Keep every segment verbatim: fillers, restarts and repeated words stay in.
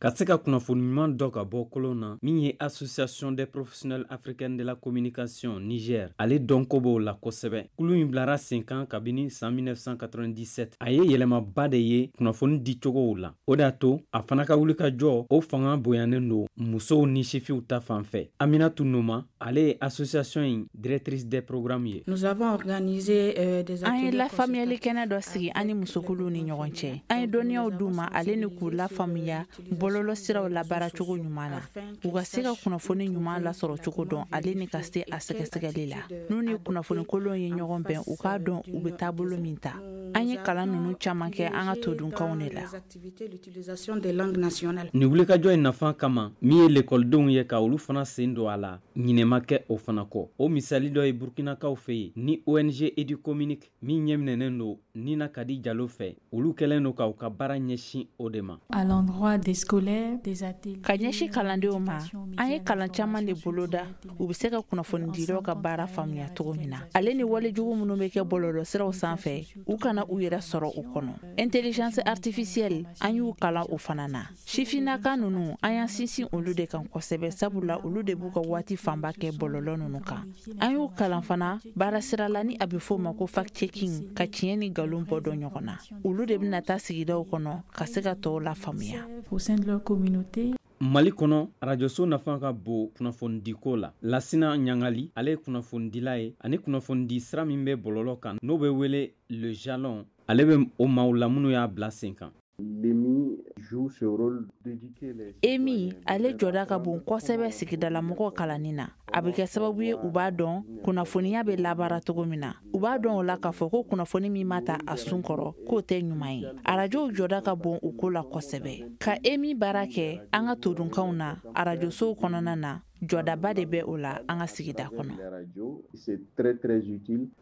Ka se ka kunnafoni ɲuman dɔ ka bɔ kolon na, min ye Association des professionnels africains de la communication Niger, ale dɔnko b'o la kosɛbɛ. Kulu in bilara sen kan kabini san mille neuf cent quatre-vingt-dix-sept. A ye yɛlɛmaba de ye kunnafoni dicogow la. O de y'a to a fana ka wulikajɔ o fanga bonyanen don musow ni sifiw ta fan fɛ. Aminatu Noma, ale ye association in directrice des programmes ye. Nous avons organisé euh, des An ye lafaamuyali kɛnɛ dɔ sigi an ni musokuluw ni ɲɔgɔn cɛ. An ye dɔnniyaw d'u ma ale ni k'u lafaamuya bɔlɔlɔ siraw labaaracogo ɲuman na, u ka se ka kunnafoni ɲuman lasɔrɔ cogo dɔn, ale ni ka se a sɛgɛsɛgɛli la. N'u ni kunnafoni kolon ye ɲɔgɔn bɛn, u k'a dɔn u bɛ taabolo min ta. An ye kalan ninnu caman kɛ an ka todunkanw de la. Nin wulikajɔ in nafa kama, min ye lekɔlidenw ye, ka olu fana sen don a la, ɲinɛma kɛ o fana kɔ. O misali dɔ ye Burkinakaw fɛ yen ni O N G Educommunique min ɲɛminɛnen don Nina Kadi Jalo fɛ. Olu kɛlen don k'u ka baara ɲɛsin o de ma. À l'endroit des scolaires, des ateliers. Ka ɲɛsin kalandenw ma, an ye kalan caman de boloda, u bɛ se ka kunnafonidilaw ka baara faamuya cogo min na, ale ni walejugu minnu bɛ kɛ bɔlɔlɔsiraw sanfɛ, u kana u yɛrɛ sɔrɔ o kɔnɔ. Intelligence artificielle, an y'u kalan o fana na. Sifinnaka ninnu, an y'an sinsin olu de kan kosɛbɛ, sabula olu de b'u ka waati fanba kɛ bɔlɔlɔ ninnu kan. An y'u kalan fana baara sira la ni a bɛ f'o ma ko fact checking, ka tiɲɛ ni nkalon bɔ dɔn ɲɔgɔn na. Olu de bɛna taa sigidaw kɔnɔ ka se ka tɔw la faamuya. Au sein de leur communauté. Mali kɔnɔ, arajoso nafa ka bon kunnafonidiko la. Lasina Ɲangali, ale ye kunnafonidila ye ani kunnafonidi sira min bɛ bɔlɔlɔ kan, n'o bɛ wele Le Jalon, ale bɛ o maaw la minnu y'a bila sen kan. EMI, ale jɔda ka bon kosɛbɛ sigidalamɔgɔw kalanni na. A bɛ kɛ sababu ye u b'a dɔn kunnafoniya bɛ labaara cogo min na, u b'a dɔn o la k'a fɔ ko kunnafoni min ma ta a sun kɔrɔ, k'o tɛ ɲuman ye. Arajow jɔda ka bon u ko la kosɛbɛ. Ka EMI baara kɛ an ka todunkanw na arajosow kɔnɔna na, jɔdaba de bɛ o la an ka sigida kɔnɔ.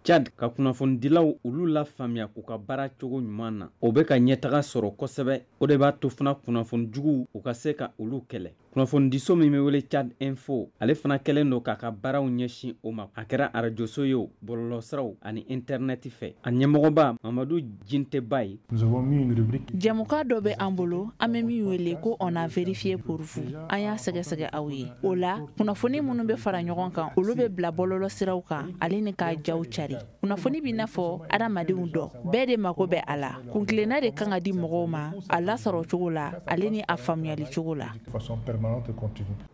Tchad, ka kunnafonidilaw olu la faamuya k'u ka baara cogo ɲuman na, o bɛ ka ɲɛtaga sɔrɔ kosɛbɛ. O de b'a to fana kunnafoni juguw, u ka se ka olu kɛlɛ. Kunnafonidiso min bɛ wele Tchad Info, ale fana kɛlen don k'a ka baaraw ɲɛsin o ma, a kɛra arajoso ye o, bɔlɔlɔsiraw ani intɛrnɛti fɛ. A ɲɛmɔgɔba Mamadu Jinteba ye. Jɛmukan dɔ bɛ an bolo, an bɛ min wele ko "On a vérifié pour vous", an y'a sɛgɛsɛgɛ aw ye. O la, kunnafoni minnu bɛ fara ɲɔgɔn kan, olu bɛ bila bɔlɔlɔ siraw kan ale ni k'a jaw cari. Kunnafoni b'i n'a fɔ adamadenw dɔ, bɛɛ de mako bɛ a la. Kuntilenna de kan ka di mɔgɔw ma a lasɔrɔ cogo la, ale ni a faamuyali cogo la.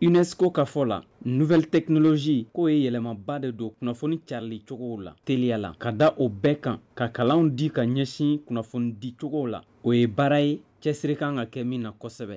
UNESCO ka fɔ la, nouvelle technologie k'o ye yɛlɛmaba de don kunnafoni carili cogow la teliya la. Ka da o bɛɛ kan, ka kalanw di ka ɲɛsin kunnafoni di cogow la, o ye baara ye cɛsiri kan ka kɛ min na kosɛbɛ.